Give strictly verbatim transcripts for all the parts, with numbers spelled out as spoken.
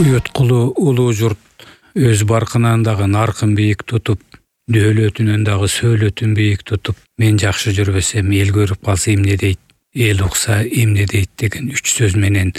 Уюткулу улуу журт өз баркынан дагы наркын бийик тутуп, дөөлөтүнөн дагы сөөлөтүн бийик тутуп, мен жакшы жүрбөсөм эл көрүп калса эмне дейт, эл укса эмне дейт деген үч сөз менен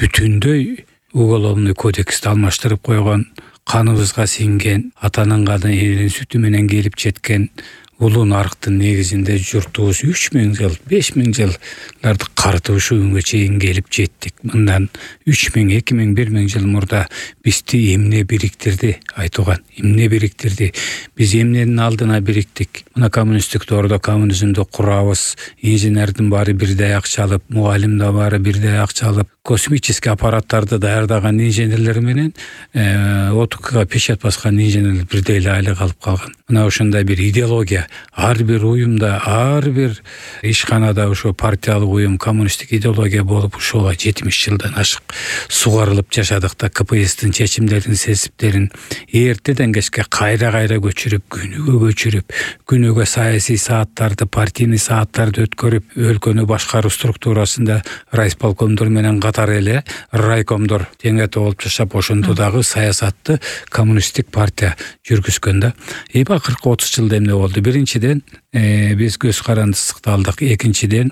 бүтүндөй уголовный кодексти алмаштырып койгон, каныбызга сиңген, атанын каны элдин сүтү менен келип жеткен улуу нарктын негизинде журтубуз үч миң жыл, беш миң жылдарды карытып ушу күнгө чейин келип жеттик. Мындан үч миң, эки миң, бир миң жыл мурда бизди эмне бириктирди айтылган, эмне бириктирди? Биз эмненин алдына бириктик? Мына коммунисттик доордо коммунизмди курабыз, инженердин баары бирдей акча алып, мугалим да баары бирдей акча алып, космический аппараттарды даярдаган инженерлер менен отукга печать баскан инженерлер бирдей эле айлык алып калган. Мына ошондой бир идеология ар бир уюмда, ар бир ишканада ошо партиялык уюм, коммунисттик идеология болуп ушуга жетимиш жылдан ашык сугарылып жашадык да, КПСстин чечимдерин, сесиптерин эртеден кечке кайра-кайра көчүрүп, күнүгө көчүрүп, күнүгө саясий сааттарды, партийный сааттарды өткөрүп, өлкөнү башкаруу структурасында райисполкомдор менен катар эле райкомдор теңете болуп жашап, ошондо дагы саясатты коммунисттик партия жүргүзгөн да. Эми акыркы отуз жылда эмне болду? Биринчиден, э, биз көз карандысыкты алдык. Экинчиден,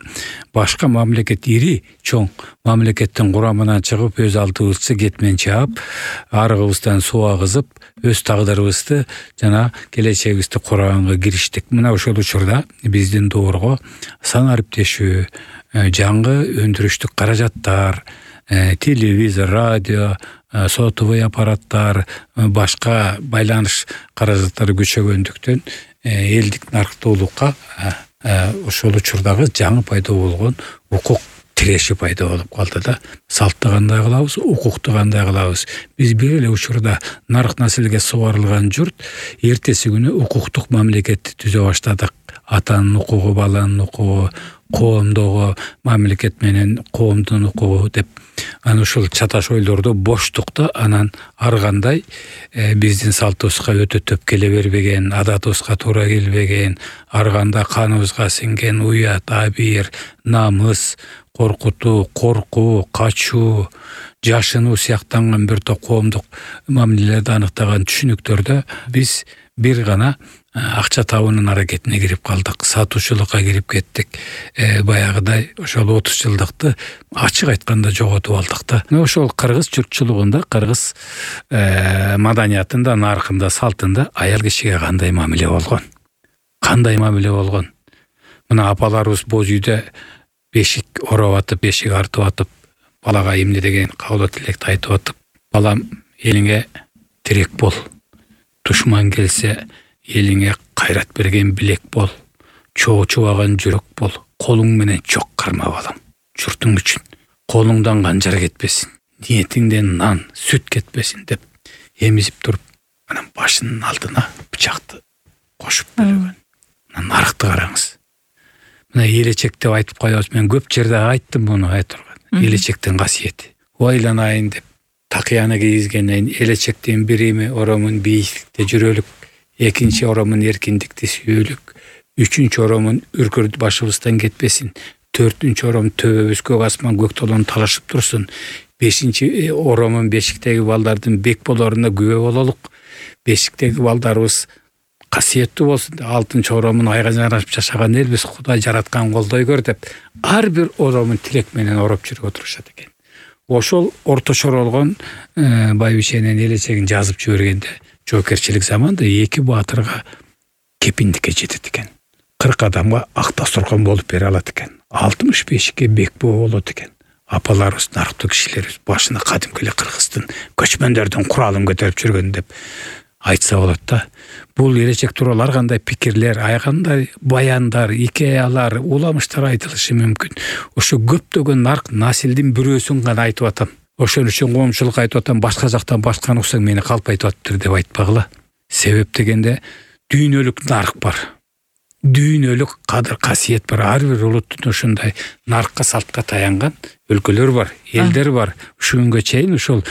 башка мамлекет, ири чоң мамлекеттин курамынан чыгып, өз алдыбызча кетмен чаап, арыгыбыздан суу агызып, өз тагдырыбызды жана келечегибизди кураганга кириштик. Мына ошол учурда биздин доорго сан ариптешүү, жаңы өндүрүштүк каражаттар, телевизор, радио, сотовый аппараттар, башка байланыш каражаттары күчөгөндүктөн элдик нарктуулукка ошол учурдагы жаңы пайда болгон укук тиреши пайда болуп калды да. Салтты кандай кылабыз, укукту кандай кылабыз? Биз бир эле учурда нарк населге сугарылган журт эртеси күнү укуктук мамлекетти түзө баштадык. Атанын укугу, баланын укугу, коомдогу мамлекет менен коомдун укугу деп, анан ушул чаташ ойлорду боштукта анан ар кандай биздин салтыбызга өтө төп келе бербеген, адатыбызга туура келбеген, ар кандай каныбызга сиңген уят, абийир, намыс, коркутуу, коркуу, качуу, жашынуу сыяктанган бир топ коомдук мамилелерди аныктаган түшүнүктөрдө биз бир гана акча табуунун аракетине кирип калдык, сатуучулукка кирип кеттик. Э, баягыдай ошол отуз жылдыкты ачык айтканда жоготуп алдык да. Ошол кыргыз журтчулугунда, кыргыз э, маданиятында, наркында, салтында аял кишиге кандай мамиле болгон? Кандай мамиле болгон? Мына апаларыбыз боз үйдө бешик ороп атып, бешик артып атып, балага эмне деген кабыл тилекти айтып атып, балам элиңе тирек бол, душман келсе элиңе кайрат берген билек бол, чоо чубаган жүрөк бол, колуң менен чок карма балам, журтуң үчүн. Колуңдан канжар кетпесин, ниетиңден нан, сүт кетпесин деп эмизип туруп, анан башынын алдына бычакты кошуп берген. Мына наркты караңыз. Мына элечек деп айтып коебуз. Мен көп жерде айттым муну айтырган. Элечектин касиети. Ойланайын деп такыяны кийизгенден элечектин бирими оромун бийиктикте жүрөлүк, экинчи оромун эркиндикти сүйөлүк, үчүнчү оромун үркүрд башыбыздан кетпесин, төртүнчү ором төбөбүзгө асман көк толон талашып турсун, бешинчи оромун бешиктеги балдардын бек болоруна күбө бололук, бешиктеги балдарыбыз касиеттүү болсун, алтынчы оромун айга жарашып жашаган элбиз, Кудай жараткан колдой көр деп, ар бир оромун тилек менен ороп жүрүп отурушат экен. Ошол орточор болгон байбишенин элечегин жазып жибергенде жоокерчилик заманда эки баатырга кепиндикке жетет экен. кырк адамга ак дасторкон болуп бере алат экен. алтымыш бешикке бекбөө болот экен. Апаларыбыз, нарктуу кишилерибиз башына кадимки эле кыргыздын көчмөндөрдүн куралын көтөрүп жүргөн деп айтса болот да. Бул элечек тууралуу ар кандай пикирлер, ар кандай баяндар, икеялар, уламыштар айтылышы мүмкүн. Ошо көптөгөн нарк населдин бирөөсүн гана айтып атам. Ошон үчүн коомчулук айтып атам, башка жактан башканы уксаң мени калп айтып атыптыр деп айтпагыла. Себеп дегенде дүйнөлүк нарк бар. Дүйнөлүк кадыр касиет бар. Ар бир улуттун ошондой наркка, салтка таянган өлкөлөр бар, элдер бар. Ушул күнгө чейин ушул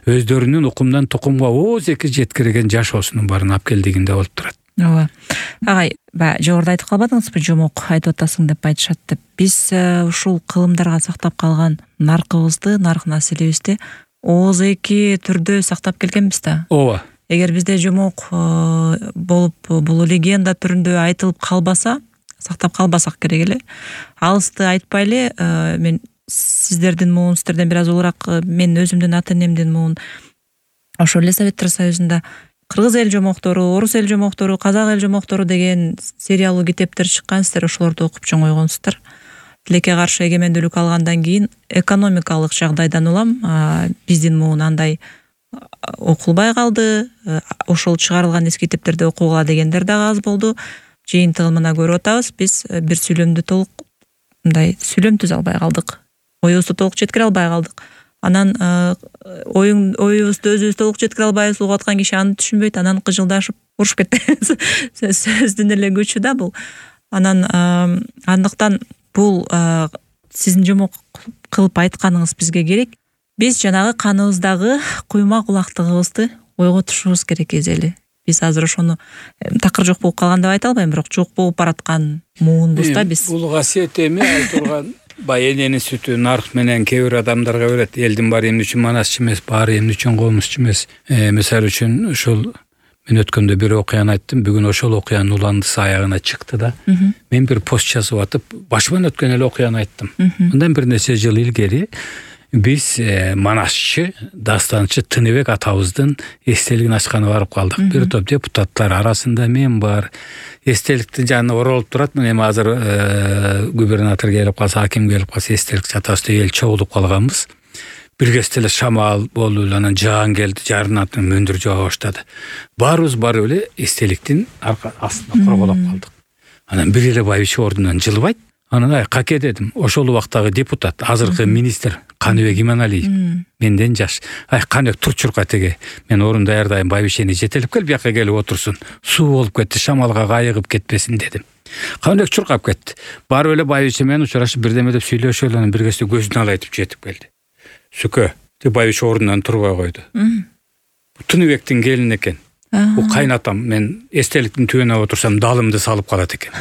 өздөрүнүн укумдан тукумга ооз эки жеткирген жашоосунун баарын алып келдигинде болуп турат. Ооба. Агай, ба жогоруда айтып калбадыңызбы, жомок айтып атасың деп айтышат деп. Биз ушул кылымдарга сактап калган наркыбызды, нарк населебизди ооз эки түрдө сактап келгенбиз да. ооба. Эгер бизде жомок болуп бул легенда түрүндө айтылып калбаса, сактап калбасак керек эле. Алысты айтпай эле, мен сиздердин муун, сиздерден бир аз улураак мен өзүмдүн ата энемдин муун ошол эле Советтер Союзунда кыргыз эл жомоктору, орус эл жомоктору, казак эл жомоктору деген сериялуу китептер чыккан, сиздер ошолорду окуп чоңойгонсуздар. Тилекке каршы эгемендүүлүк алгандан кийин экономикалык жагдайдан улам биздин муун андай окулбай калды. Ошол чыгарылган эски китептерди окугула дегендер дагы аз болду. Жыйынтыгына көрүп атабыз, биз бир сүйлөмдү толук мындай сүйлөм түзө албай калдык. Оюбузду толук жеткире албай калдык. Анан оюң оюбузду өзүбүз толук жеткире албайбыз, угуп аткан киши аны түшүнбөйт, анан кыжылдашып урушуп кетти. Сөздүн эле күчү да бул. Анан андыктан бул сиздин жомок кылып айтканыңыз бизге керек. Биз жанагы каныбыздагы куйма кулактыгыбызды ойготушубуз керек эзели. Биз азыр ошону такыр жок болуп калган деп айта албайм, бирок жок болуп бараткан муунбуз да биз. Бул касиет эми айтылган бай эненин сүтү нарк менен кээ бир адамдарга берет. Элдин баары эмне үчүн манасчы эмес, баары эмне үчүн комузчу эмес. Мисалы үчүн ошол мен өткөндө бир окуяны айттым, бүгүн ошол окуянын уландысы аягына чыкты да. Мен бир пост жазып атып, башыман өткөн эле окуяны айттым. Мындан бир нече жыл илгери биз манасчы, дастанчы Тыныбек атабыздын эстелигин ачканы барып калдык. Бир топ депутаттар арасында мен бар. Эстеликтин жанына оролуп турат. Мен эми азыр губернатор келип калса, аким келип калса, эстелик жатабызда эл чогулуп калганбыз. Биргесте эле шамал болду, анан жаан келди, жарынатын мөндүр жоо баштады. Баарыбыз барып эле эстеликтин астына корголоп калдык. Анан бир эле байбиче ордунан жылбайт. Анан ай каке дедим, ошол убактагы депутат, азыркы министр Каныбек Иманалиев, менден жаш. Ай Каныбек турчурка теге, мен орун даярдайм, байбичени жетелеп кел, бияка келип отурсун. Суу болуп кетти, шамалга кайыгып кетпесин дедим. Каныбек чуркап кетти. Барып эле байбиче менен учурашып бирдеме деп сүйлөшүп, анан биргесте көзүн алайтып жетип келди. Сүкө, деп байбиче ордунан турбай койду. Тыныбектин келини экен. Бул кайнатам, мен эстеликтин түбүнө отурсам далымды салып калат экен.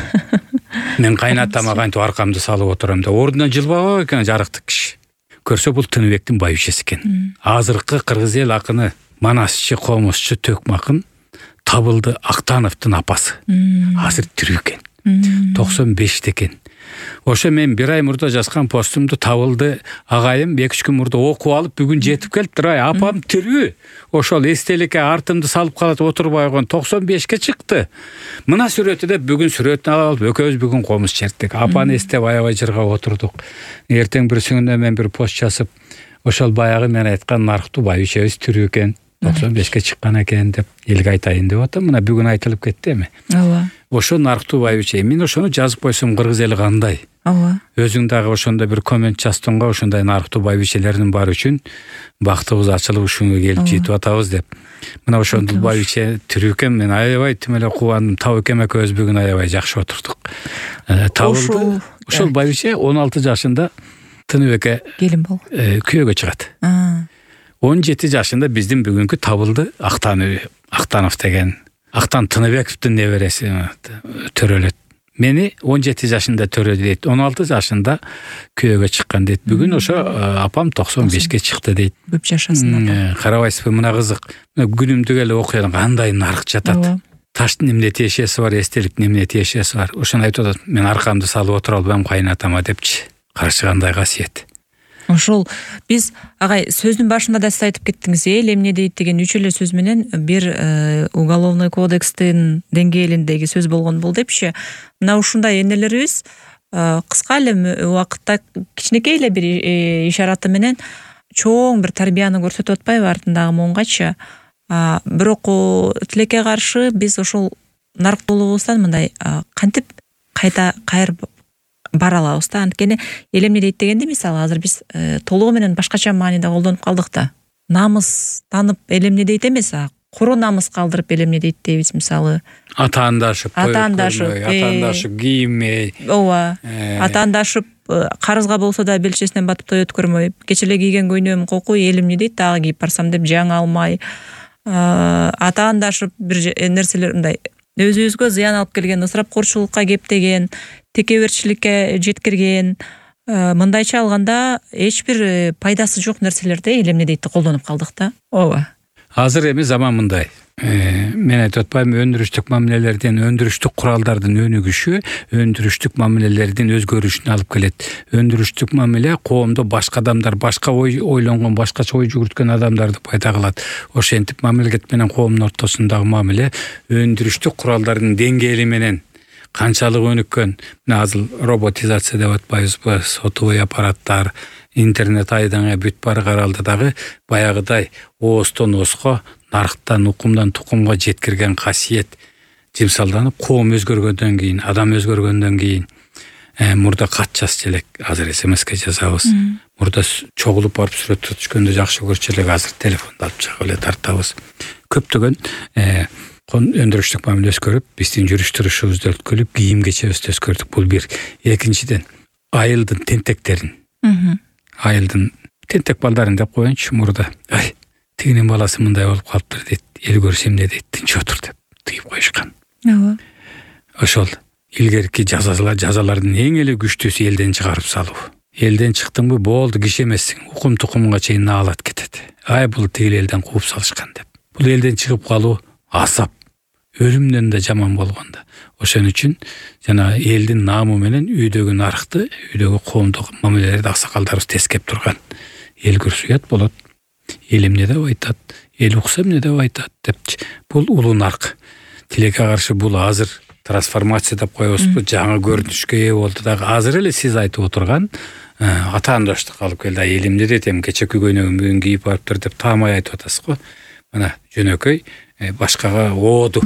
Мен кайнатама кантип аркамды салып отурам да, ордунан жылбабак экен жарыктык киши. Көрсө бул Тыныбектин байбичеси экен. Азыркы кыргыз эл акыны, манасчы, комузчу Төкмө акын Табылды Актановдун апасы. Азыр тирүү экен. токсон беште экен. Ошо мен бир ай мурда жазган постумду Табылды агайым эки үч күн мурда окуп алып, бүгүн жетип келиптир. Ай, апам тирүү. Ошол эстеликке артымды салып калат, отурбай койгон токсон бешке чыкты. Мына сүрөтү деп бүгүн сүрөтүн алып, экөөбүз бүгүн комуз черттик. Апаны эстеп аябай жыргап отурдук. Эртең бирсүнүндө мен бир пост жазып, ошол баягы мен айткан нарктуу байбичебиз тирүү экен, токсон бешке чыккан экен деп элге айтайын деп атам. Мына бүгүн айтылып кетти эми. Ооба. Ошо нарктуу байбиче. Мен ошону жазып койсом, кыргыз эли кандай? Ооба. Өзүң дагы ошондо бир коммент жаздыңга, ошондой нарктуу байбичелердин баары үчүн бактыбыз ачылып ушуга келип жетип атабыз деп. Мына ошондул байбиче тирүү экен, мен аябай тим эле кубандым. Табы экен экөөбүз бүгүн аябай жакшы отурдук. Табылды. Ошол байбиче он алты жашында Тыныбекке келин болуп күйөөгө чыгат. он жети жашында биздин бүгүнкү Табылды Актанов деген Актан Тыныбековдун небереси төрөлөт. Мени он жети жашында төрөдү дейт. он алты жашында күйөөгө чыккан дейт. Бүгүн ошо апам токсон бешке чыкты дейт. Көп жашасын. Карабайсызбы, мына кызык. Күнүмдүк эле окуян кандай нарк жатат. Таштын эмне тиешеси бар, эстеликтин эмне тиешеси бар. Ошону айтып атат. Мен аркамды салып отура албайм кайнатама депчи. Каршы кандай касиет. Ошол биз агай сөздүн башында да сиз айтып кеттиңиз, эл эмне дейт деген үч эле сөз менен бир уголовный кодекстин деңгээлиндеги сөз болгон бул депчи. Мына ушундай энелерибиз кыска эле убакытта кичинекей эле бир ишараты менен чоң бир тарбияны көрсөтүп атпайбы артындагы муунгачы. Бирок тилекке каршы биз ошол нарктуулугубуздан мындай кантип кайта кайыр бара алабыз да. Анткени эл эмне дейт дегенде, мисалы азыр биз толугу менен башкача мааниде колдонуп калдык да. Намыс танып эл эмне дейт эмес, куру намыс калдырып эл эмне дейт дейбиз, мисалы атаандашып, атаандашып, атаандашып кийинмей. Ооба. Атаандашып карызга болсо да белчесинен батып той өткөрмөй, кече эле кийген көйнөм кокуй, эл эмне дейт дагы кийип барсам деп жаңа алмай, атаандашып бир нерселер мындай өзүбүзгө зыян алып келген, ысырапкорчулукка кептеген, текеберчиликке жеткирген, мындайча алганда эч бир пайдасы жок нерселерди эл эмне дейт колдонуп калдык да. ооба. Азыр эми заман мындай. Мен айтып атпайм, өндүрүштүк мамилелердин, өндүрүштүк куралдардын өнүгүшү өндүрүштүк мамилелердин өзгөрүшүнө алып келет. Өндүрүштүк мамиле коомдо башка адамдар, башка ой ойлонгон, башкача ой жүгүрткөн адамдарды пайда кылат. Ошентип мамлекет менен коомдун ортосундагы мамиле өндүрүштүк куралдардын деңгээли менен канчалык өнүккөн. Мына азыр роботизация деп атпайбызбы, сотовой аппараттар, интернет айдаңа бүт баары каралды дагы баягыдай оостон ооско, нарктан укумдан тукумга жеткирген касиет жимсалданып, коом өзгөргөндөн кийин, адам өзгөргөндөн кийин мурда кат жазчу элек, азыр смске жазабыз. Мурда чогулуп барып сүрөт түшкөндө жакшы көрчү элек, азыр телефонду алып чыгып эле тартабыз. Көптөгөн өндүрүштүк мамиле өскөрүп, биздин жүрүш турушубузду өткөрүп, кийим кечебизди өскөрдүк. Бул бир. Экинчиден, айылдын тентектерин, айылдын тентек балдарын деп коеюнчу, мурда ай тигинин баласы мындай болуп калыптыр дейт, эл көрсө эмне дейт, тынч отур деп тыйып коюшкан. Ооба. Ошол илгерки жазалар, жазалардын эң эле күчтүүсү элден чыгарып салуу. Элден чыктыңбы, болду, киши эмессиң, укум тукумга чейин наалат кетет. Ай бул тигил элден кууп салышкан деп. Бул элден чыгып калуу азап, өлүмдөн да жаман болгондо. Ошон үчүн жана элдин наамы менен үйдөгү нарыкты, үйдөгү коомдук мамилелерди аксакалдарыбыз тескеп турган. Эл көрсө уят болот. Эл эмне деп айтат, эл укса эмне деп айтат деп. Бул улуу нарк. Тилекке каршы бул азыр трансформация деп коебузбу, жаңы көрүнүшкө ээ болду дагы. Азыр эле сиз айтып отурган атаандаштык алып келди. Эл эмне дейт, эми кечеки көйнөгүн бүгүн кийип барыптыр деп таамай айтып атасыз го. Мына жөнөкөй башкага ооду.